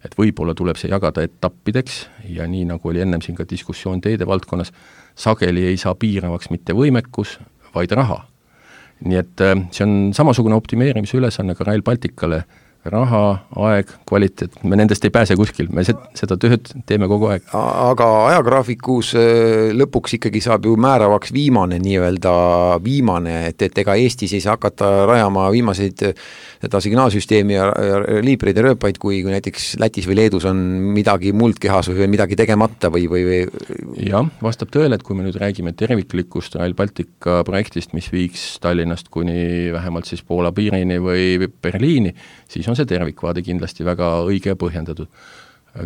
et võib-olla tuleb see jagada etappideks ja nii nagu oli ennem siin ka diskussioon teede valdkonnas, sageli ei saa piiravaks mitte võimekus, vaid raha. Nii et see on samasugune optimeerimise ülesanne ka Rail Balticale, raha, aeg, kvaliteet, me nendest ei pääse kuskil, me seda tööd teeme kogu aeg. Aga ajagraafikus lõpuks ikkagi saab ju määravaks viimane, et ega Eestis ei saa hakata rajama viimaseid seda signaalsüsteemi ja liibreid ja rööpaid, kui näiteks Lätis või Leedus on midagi muldkehas või midagi tegemata või... Jah, vastab tõele, et kui me nüüd räägime terviklikust Rail Baltica projektist, mis viiks Tallinnast kuni vähemalt siis Poola piirini või Berliini, siis on see tervikvaade kindlasti väga õige ja põhjendatud.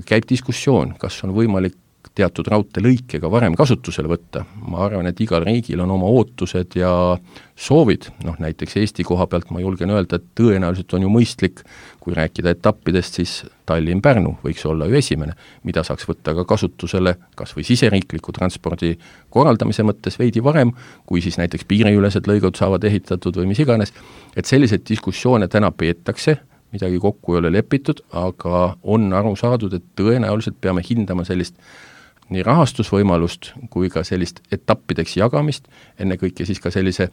Käib diskussioon, kas on võimalik teatud raudteelõikega varem kasutusele võtta. Ma arvan, et igal riigil on oma ootused ja soovid. Näiteks Eesti koha pealt ma julgen öelda, et tõenäoliselt on ju mõistlik, kui rääkida etappidest, siis Tallinn-Pärnu võiks olla ju esimene, mida saaks võtta ka kasutusele kas või siseriikliku transpordi korraldamise mõttes veidi varem, kui siis näiteks piiriülesed lõigud saavad ehitatud või mis iganes. Et selliseid diskussioone täna peetakse, midagi kokku ei ole lepitud, aga on aru saadud, et tõenäoliselt peame hindama sellist nii rahastusvõimalust kui ka sellist etappideks jagamist, ennekõike siis ka sellise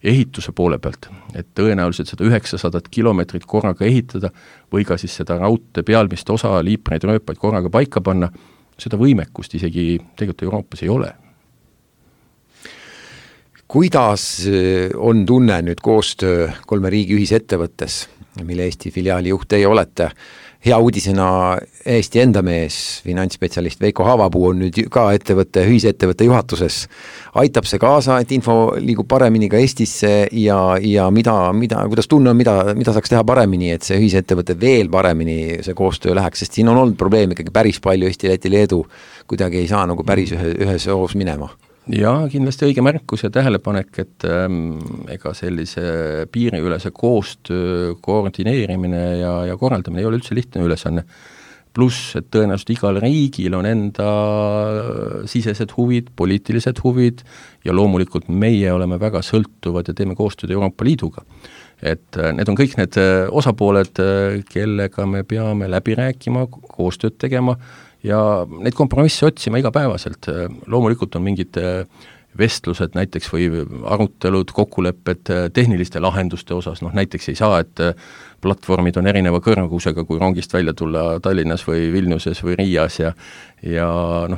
ehituse poole pealt, et tõenäoliselt seda 900 kilomeetrit korraga ehitada või ka siis seda raudtee pealmist osa liipreid rööpaid korraga paika panna, seda võimekust isegi tegelikult Euroopas ei ole. Kuidas on tunne nüüd koostöö 3 riigi ühisettevõttes, mille Eesti filiaali juht teie olete? Hea uudisena Eesti enda mees, finantsspetsialist Veiko Haavapuu on nüüd ka ühisettevõtte juhatuses. Aitab see kaasa, et info liigub paremini ka Eestisse ja kuidas tunne on, mida saaks teha paremini, et see ühisettevõte veel paremini see koostöö läheks, sest siin on olnud probleem ikkagi päris palju Eesti, Läti, Leedu, kuidagi ei saa nagu päris ühes hoos minema. Ja kindlasti õige märkus ja tähelepanek, et ega sellise piiriülese koostöö koordineerimine ja korraldamine ei ole üldse lihtne ülesanne. Pluss, et tõenäoliselt igal riigil on enda sisesed huvid, poliitilised huvid ja loomulikult meie oleme väga sõltuvad ja teeme koostööd Euroopa Liiduga. Et need on kõik need osapooled, kellega me peame läbi rääkima, koostööd tegema ja neid kompromisse otsima igapäevaselt. Loomulikult on mingid vestlused näiteks või arutelud, kokkulepped tehniliste lahenduste osas, näiteks ei saa, et platvormid on erineva kõrgusega, kui rongist välja tulla Tallinnas või Vilniuses või Riias ja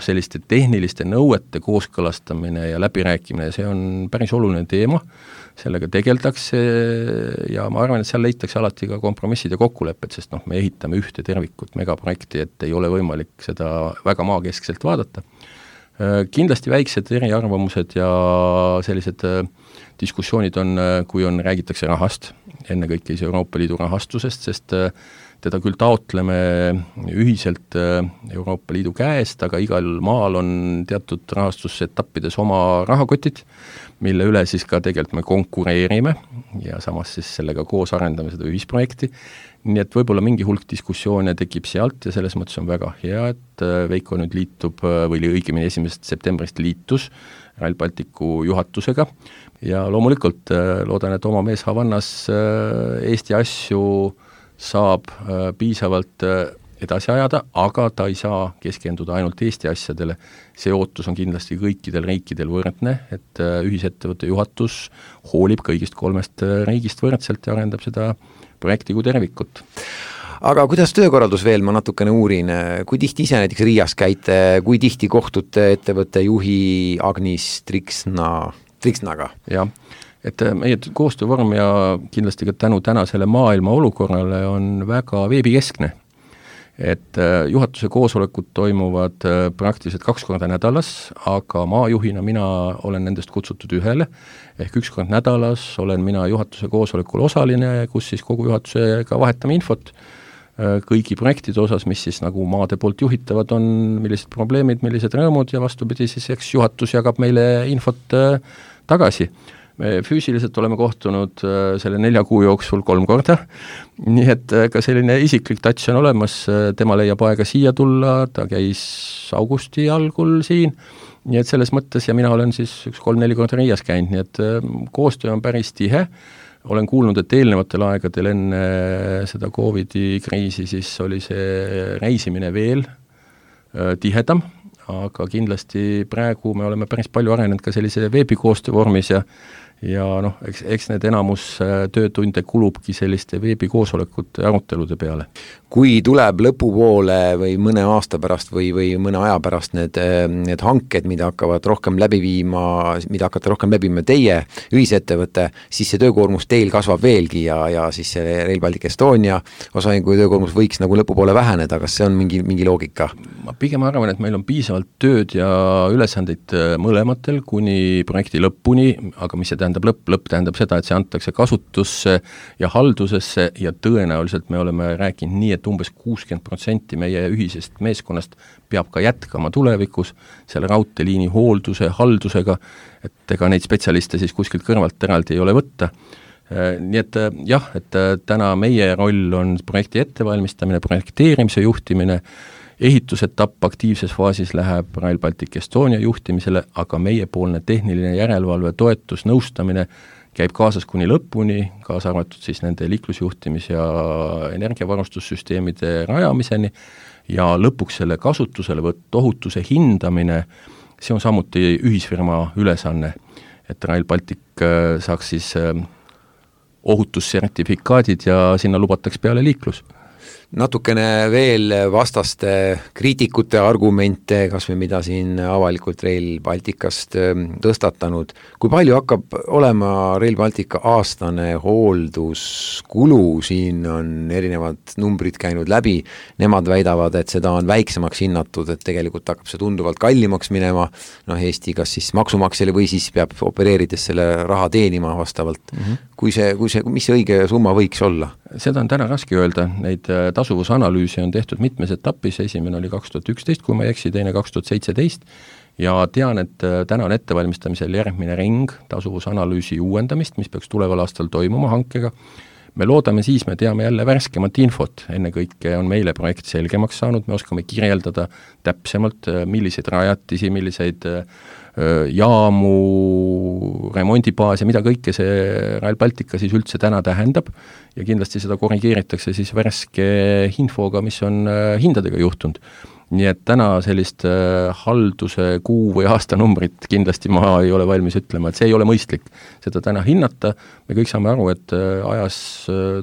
selliste tehniliste nõuete kooskõlastamine ja läbirääkimine, see on päris oluline teema, sellega tegeldakse ja ma arvan, et seal leitakse alati ka kompromissid ja kokkulepped, sest me ehitame ühte tervikut megaprojekti, et ei ole võimalik seda väga maakeskselt vaadata. Kindlasti väiksed eriarvamused ja sellised diskussioonid on, kui räägitakse rahast, ennekõike Euroopa Liidu rahastusest, sest teda küll taotleme ühiselt Euroopa Liidu käest, aga igal maal on teatud rahastusetappides oma rahakotid, mille üle siis ka tegelikult me konkureerime ja samas siis sellega koos arendame seda ühisprojekti. Nii et võib-olla mingi hulk diskussioone tekib sealt ja selles mõttes on väga hea, et Veiko nüüd liitub või õigemini 1. septembrist liitus Rail Balticu juhatusega ja loomulikult loodan, et oma mees Havannas Eesti asju saab piisavalt edasi ajada, aga ta ei saa keskenduda ainult Eesti asjadele. See ootus on kindlasti kõikidel riikidel võrdne, et ühisettevõtte juhatus hoolib kõigist 3 riigist võrdselt ja arendab seda projekti kui tervikut. Aga kuidas töökorraldus veel, ma natukene uurin, kui tihti ise näiteks Riias käite, kui tihti kohtute ettevõtte juhi Agnis Triksnaga? Jah, et meie koostöövorm ja kindlasti ka tänu tänasele maailma olukorrale on väga veebikeskne. Et juhatuse koosolekud toimuvad praktiliselt 2 korda nädalas, aga maajuhina mina olen nendest kutsutud ühele, ehk 1 kord nädalas olen mina juhatuse koosolekul osaline, kus siis kogu juhatusega vahetame infot kõigi projektide osas, mis siis nagu maade poolt juhitavad on, millised probleemid, millised rõõmud ja vastupidi siis eks juhatus jagab meile infot tagasi. Me füüsiliselt oleme kohtunud selle 4 kuu jooksul 3 korda, nii et ka selline isiklik touch on olemas, tema leiab aega siia tulla, ta käis augusti algul siin nii et selles mõttes, ja mina olen siis 3-4 korda Riias käinud, nii et koostöö on päris tihe, olen kuulnud, et eelnevatel aegadel enne seda Covidi kriisi siis oli see reisimine veel tihedam, aga kindlasti praegu me oleme päris palju arenenud ka sellise veebikoostöö vormis ja noh, eks need enamus töötunde kulubki selliste veebikoosolekute arutelude peale. Kui tuleb lõpupoole või mõne aasta pärast või mõne aja pärast need hanked, mida hakkavad rohkem läbi viima, mida hakkate rohkem läbima teie ühisettevõte, siis see töökoormus teil kasvab veelgi ja siis see Rail Baltic Estonia osaühingu töökoormus võiks nagu lõpupoole väheneda, kas see on mingi loogika? Ma pigem arvan, et meil on piisavalt tööd ja ülesandeid mõlematel kuni projekti lõpuni, aga mis see tähendab lõpp tähendab seda, et see antakse kasutusse ja haldusesse ja tõenäoliselt me oleme rääkinud nii, et umbes 60% meie ühisest meeskonnast peab ka jätkama tulevikus selle raudteeliini hoolduse, haldusega, et ega neid spetsialiste siis kuskilt kõrvalt eraldi ei ole võtta. Nii et jah, et täna meie roll on projekti ettevalmistamine, projekteerimise juhtimine, ehitusetapp aktiivses faasis läheb Rail Baltic Estonia juhtimisele, aga meiepoolne tehniline järelevalve, toetus, nõustamine käib kaasas kuni lõpuni, kaasa arvatud siis nende liiklusjuhtimis- ja energiavarustussüsteemide rajamiseni ja lõpuks selle kasutuselevõtt, ohutuse hindamine, see on samuti ühisfirma ülesanne, et Rail Baltic saaks siis ohutussertifikaadid ja sinna lubataks peale liiklus. Natukene veel vastaste kriitikute argumente, kas või mida siin avalikult Rail Balticast tõstatanud. Kui palju hakkab olema Rail Baltica aastane hoolduskulu, siin on erinevad numbrid käinud läbi, nemad väidavad, et seda on väiksemaks hinnatud, et tegelikult hakkab see tunduvalt kallimaks minema, Eesti kas siis maksumaksjale või siis peab opereerides selle raha teenima vastavalt. Mis see õige summa võiks olla? Seda on täna raske öelda, neid tasuvusanalüüsi on tehtud mitmes etapis, esimene oli 2011, kui ma ei eksi, teine 2017 ja tean, et täna on ettevalmistamisel järgmine ring tasuvusanalüüsi uuendamist, mis peaks tuleval aastal toimuma hankega. Me loodame siis, me teame jälle värskemat infot, ennekõike on meile projekt selgemaks saanud, me oskame kirjeldada täpsemalt, milliseid rajatisi, milliseid jaamu, remondibaas ja mida kõike see Rail Baltica siis üldse täna tähendab ja kindlasti seda korrigeeritakse siis värske infoga, mis on hindadega juhtunud. Nii et täna sellist halduse kuu või aastanumbrit kindlasti ma ei ole valmis ütlema, et see ei ole mõistlik seda täna hinnata, me kõik saame aru, et ajas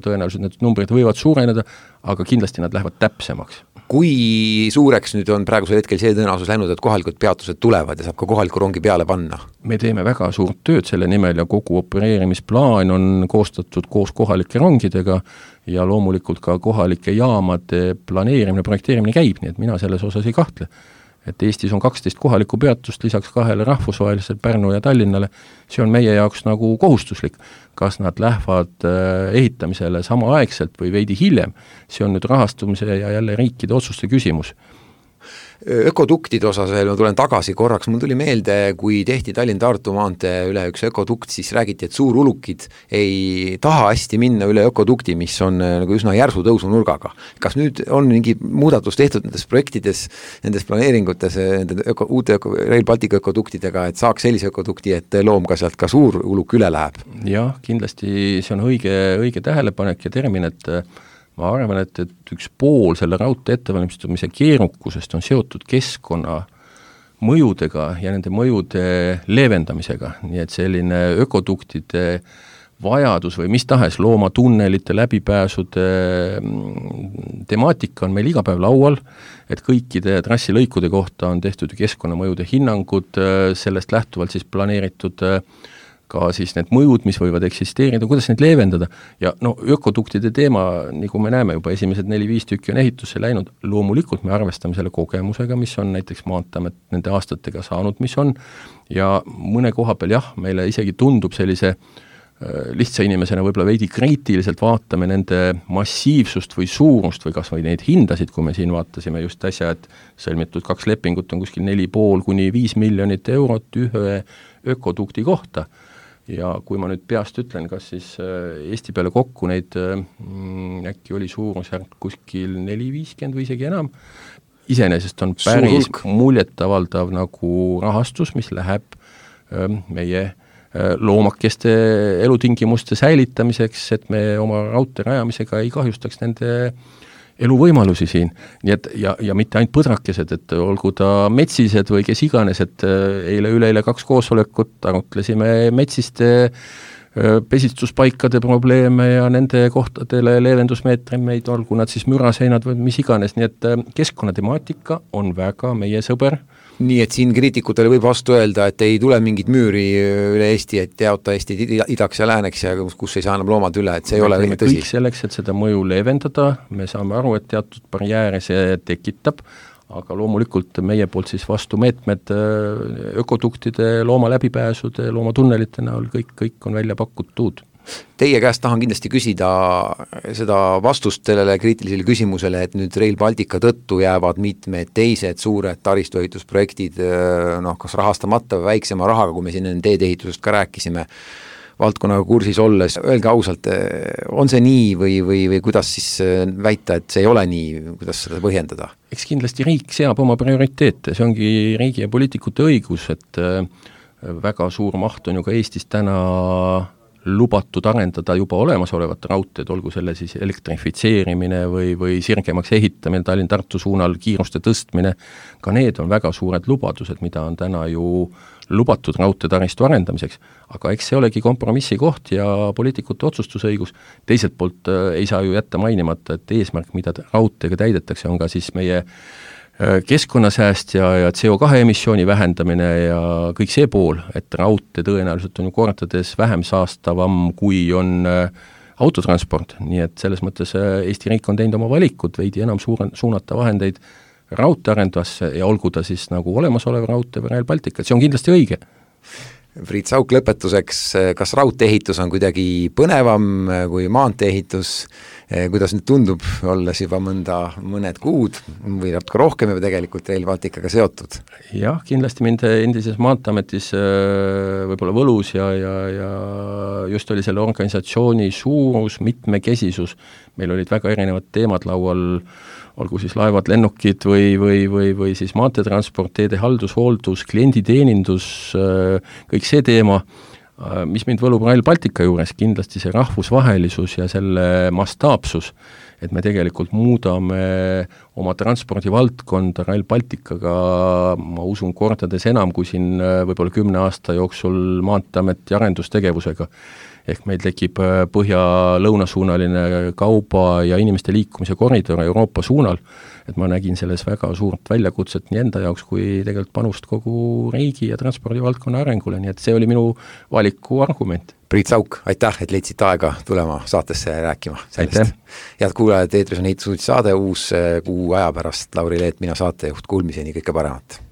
tõenäoliselt need numbrid võivad suureneda, aga kindlasti nad lähevad täpsemaks. Kui suureks nüüd on praegusel hetkel see tõenäosus läinud, et kohalikud peatused tulevad ja saab ka kohaliku rongi peale panna? Me teeme väga suurt tööd selle nimel ja kogu opereerimisplaan on koostatud koos kohalike rongidega ja loomulikult ka kohalike jaamade planeerimine, projekteerimine käib, nii et mina selles osas ei kahtle. Et Eestis on 12 kohalikku peatust, lisaks 2 rahvusvahelisele Pärnu ja Tallinnale, see on meie jaoks nagu kohustuslik. Kas nad lähevad ehitamisele samaaegselt või veidi hiljem, see on nüüd rahastumise ja jälle riikide otsuste küsimus. Ökoduktide osas veel ma tulen tagasi korraks, mul tuli meelde, kui tehti Tallinn-Tartu maantee üle üks ökodukt, siis räägiti, et suurulukid ei taha hästi minna üle ökodukti, mis on nagu üsna järsu tõusunurgaga. Kas nüüd on mingi muudatus tehtud nendes projektides, nendes planeeringutes, uute Rail Baltica ökoduktidega, et saaks sellise ökodukti, et loom ka sealt ka suur uluk üle läheb? Jah, kindlasti see on õige tähelepanek ja termin, et ma arvan, et üks pool selle raudtee ettevalmistamise keerukusest on seotud keskkonna mõjudega ja nende mõjude leevendamisega, nii et selline ökoduktide vajadus või mis tahes loomatunnelite, läbipääsude temaatika on meil iga päev laual, et kõikide trassilõikude kohta on tehtud keskkonnamõjude hinnangud, sellest lähtuvalt siis planeeritud ka siis need mõjud, mis võivad eksisteerida, kuidas neid leevendada ja ökoduktide teema, nagu me näeme juba esimesed 4-5 tükki on ehitusse läinud, loomulikult me arvestame selle kogemusega, mis on näiteks Maanteeamet nende aastatega saanud, mis on ja mõne koha peal jah, meile isegi tundub sellise lihtsa inimesena võib-olla veidi kriitiliselt vaatame nende massiivsust või suurust või kas või neid hindasid, kui me siin vaatasime just äsja, et sõlmitud 2 lepingut on kuskil 4,5 kuni 5 miljonit eurot ühe ökodukti kohta. Ja kui ma nüüd peast ütlen, kas siis Eesti peale kokku neid äkki oli suurusjärk kuskil 4-50 või isegi enam, iseenesest on päris muljetavaldav nagu rahastus, mis läheb meie loomakeste elutingimuste säilitamiseks, et me oma raudtee rajamisega ei kahjustaks nende eluvõimalusi siin. Nii et, ja mitte ainult põdrakesed, et olgu ta metsised või kes iganes, et üleile 2 koosolekut arutlesime metsiste pesistuspaikade probleeme ja nende kohtadele leevendusmeetreid, olgu nad siis müraseinad või mis iganes, nii et keskkonnatemaatika on väga meie sõber. Nii et siin kriitikutele võib vastu öelda, et ei tule mingit müüri üle Eesti, et jaota Eesti idaks ja lääneks ja kus ei saa enam loomad üle, et see ei ole tõsi. Kõik selleks, et seda mõju leevendada, me saame aru, et teatud barjääre see tekitab, aga loomulikult meie poolt siis vastu meetmed ökoduktide, looma läbipääsude, loomatunnelite näol, kõik on välja pakutud. Teie käest tahan kindlasti küsida seda vastust sellele kriitilisele küsimusele, et nüüd Rail Baltica tõttu jäävad mitmed teised suured taristuehitusprojektid kas rahastamata või väiksema rahaga, kui me siin teedeehitusest ka rääkisime, valdkonnaga kursis olles. Öelge ausalt, on see nii või kuidas siis väita, et see ei ole nii, kuidas seda põhjendada? Eks kindlasti riik seab oma prioriteete, see ongi riigi ja poliitikute õigus, et väga suur maht on ju ka Eestis täna lubatud arendada juba olemasolevat raudteed, olgu selle siis elektrifitseerimine või sirgemaks ehitamine Tallinn-Tartu suunal, kiiruste tõstmine, ka need on väga suured lubadused, mida on täna ju lubatud raudteetaristu arendamiseks, aga eks see olegi kompromissi koht ja poliitikute otsustusõigus. Teiselt poolt ei saa ju jätta mainimata, et eesmärk, mida raudteega täidetakse, on ka siis meie keskkonnasääst ja CO2 emissiooni vähendamine ja kõik see pool, et raudtee tõenäoliselt on ju kordades vähem saastavam, kui on autotransport, nii et selles mõttes Eesti riik on teinud oma valikud, veidi enam suunata vahendeid raudteearendusse ja olgu ta siis nagu olemasolev raudtee või Rail Baltica, see on kindlasti õige. Priit Sauk lõpetuseks, kas raudteeehitus on kuidagi põnevam kui maanteeehitus, kuidas nüüd tundub, olles juba mõned kuud või natuke rohkem juba tegelikult Rail Balticaga seotud? Jah, kindlasti mind endises Maanteeametis võib-olla võlus ja just oli selle organisatsiooni suurus, mitmekesisus, meil olid väga erinevad teemad laual, olgu siis laevad, lennukid või siis maanteetransport, teede haldus, hooldus, klienditeenindus, kõik see teema, mis mind võlub Rail Baltica juures, kindlasti see rahvusvahelisus ja selle mastaapsus, et me tegelikult muudame oma transpordivaldkonda Rail Balticaga, ma usun, kordades enam kui siin võib-olla 10 aasta jooksul Maanteeameti arendustegevusega. Ehk meil tekib põhja-lõunasuunaline kauba ja inimeste liikumise koridor Euroopa suunal, et ma nägin selles väga suurt väljakutset nii enda jaoks kui tegelikult panust kogu riigi ja transpordivaldkonna arengule, nii et see oli minu valiku argument. Priit Sauk, aitäh, et leidsid aega tulema saatesse rääkima sellest. Head kuulajad, eetris on ehitusuudis saade, uus kuu aja pärast Lauri Leet, mina saatejuht, kuulmiseni kõike paremat.